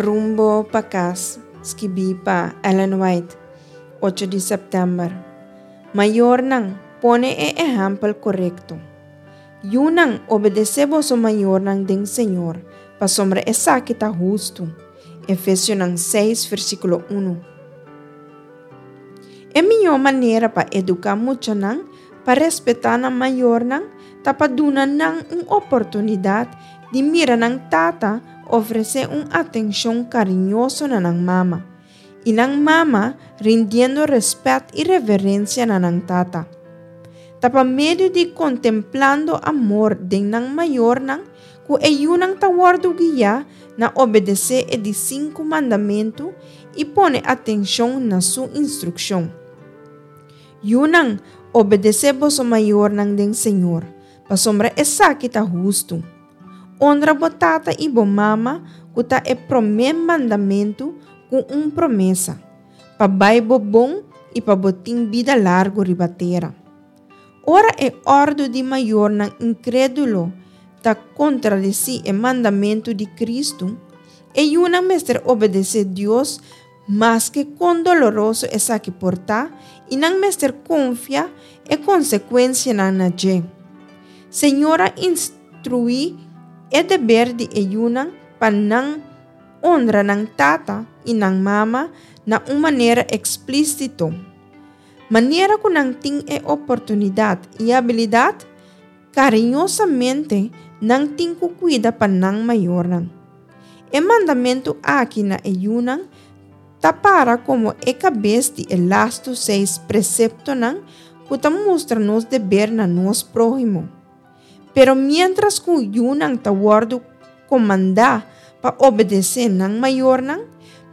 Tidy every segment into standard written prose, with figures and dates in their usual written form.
Rumbo pa Kas, skibí pa Ellen White, ocho di sèptèmber. Mayornan, pone e ehèmpel korekto. Yunan, obedesé boso mayornan den Señor, pasobra esaki ta hustu. Efesionan seis, versíkulo unu. E mihó manera pa eduká muchanan pa respetá nan mayornan ta pa duna nan un oportunidat di mira nan tata ofresé un atenshon kariñoso na nan mama, i nan mama rindiendo rèspèt i reverensia na nan tata. Ta pa medio di kontemplando amor den nan mayornan ku e yunan ta wòrdu guiá na obedesé e di sinku mandamentu i pone atenshon na su instrukshon. Yunan, obedesé boso mayornan den Señor, pasobra esaki ta hustu. Onra bo tata i bo mama ku ta e promé mandamentu ku un promesa, pa bai bo bon i pa bo tin bida largu riba tera. Ora e òrdu di mayornan inkrédulo ta kontradesí e mandamentu di Kristu, e yunan mester obedesé Dios maske kon doloroso esaki por ta i nan mester konfia e konsekuensianan na dje. Señor a instruí e deber di e yunan pa nan onra nan tata i nan mama na un manera eksplísito. Manera ku nan tin e oportunidat i abilidat, kariñosamente nan tin ku kuida pa nan mayornan. E mandamentu aki na e yunan ta para komo e kabes di e lastu seis preseptonan ku ta mustra nos deber na nos próhimo. Pero miéntras ku yunan ta wòrdu komandá pa obedesé nan mayornan,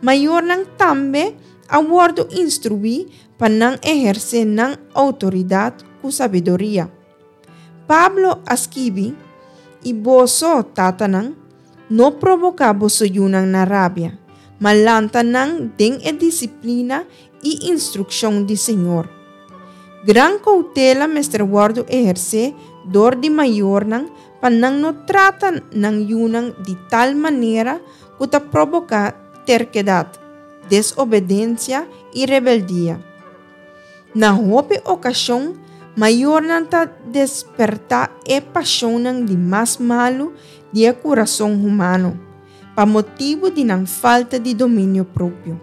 mayornan tambe a wòrdu instruí pa nan ehersé nan outoridat ku sabiduria. Pablo a skibi, I boso, tatanan, no proboká boso yunan na rabia, ma lanta nan den e disiplina i instrukshon di Señor. Gran koutela mester wòrdu ehersé dor di mayornan pa nan no trata nan yunan di tal manera ku ta proboká terkedat, desobedensia i rebeldia. Na hopi okashon, mayornan ta despertá e pashonnan di mas malu di e kurason humano, pa motibu di nan falta di dominio propio.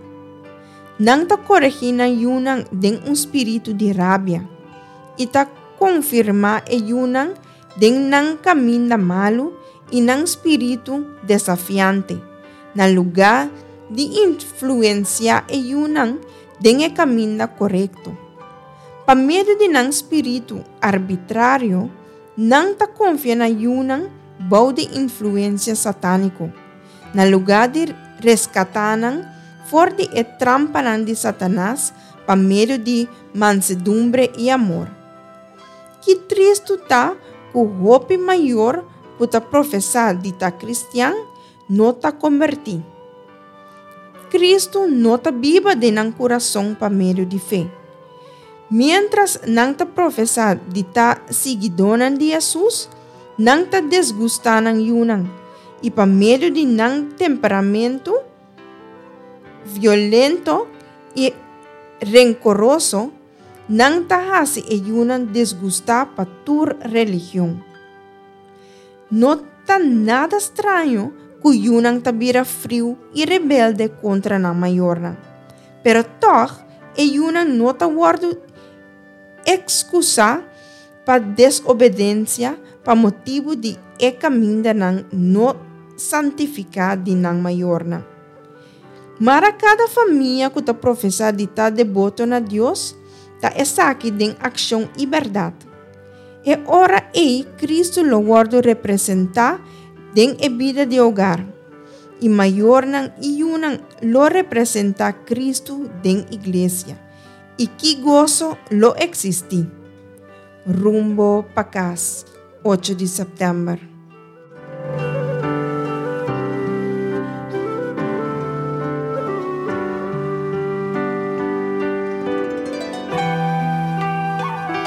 Nan ta koregí nan yunan den un spiritu di rabia i ta konfirmá e yunan den nan kaminda malu i nan spiritu desafiante, na lugá di influensiá e yunan den e kaminda korekto. Pa medio di nan spiritu arbitrario, nan ta konfia na yunan bou di influensia satániko, na lugá di reskatá nan for di e trampanan di Satanas pa medio di mansedumbre i amor. Ki tristu ta ku hopi mayor ku ta profesá di ta kristian no ta kombertí. Kristu no ta biba den nan kurason pa medio di fe. Miéntras nan ta profesá di ta siguidónan di Hesus, nan ta desgustá nan yunan, i pa medio di nan temperamentu violento i renkoroso, nan ta hasi e yunan desgustá pa tur religion. No ta nada straño ku yunan ta bira friu i rebelde kontra nan mayornan. Pero tòg e yunan no ta wòrdu ekskusá pa desobedensia pa motibu di e kamindanan no santifiká di nan mayornan. Mara kada famia ku ta profesá di ta deboto na Dios ta esaki den akshon i bèrdat. E ora ei Kristu lo wòrdu representá den e bida di hogar, i mayornan i yunan lo representá Kristu den iglesia. I ki goso lo eksistí! Rumbo pa kas, ocho di sèptèmber.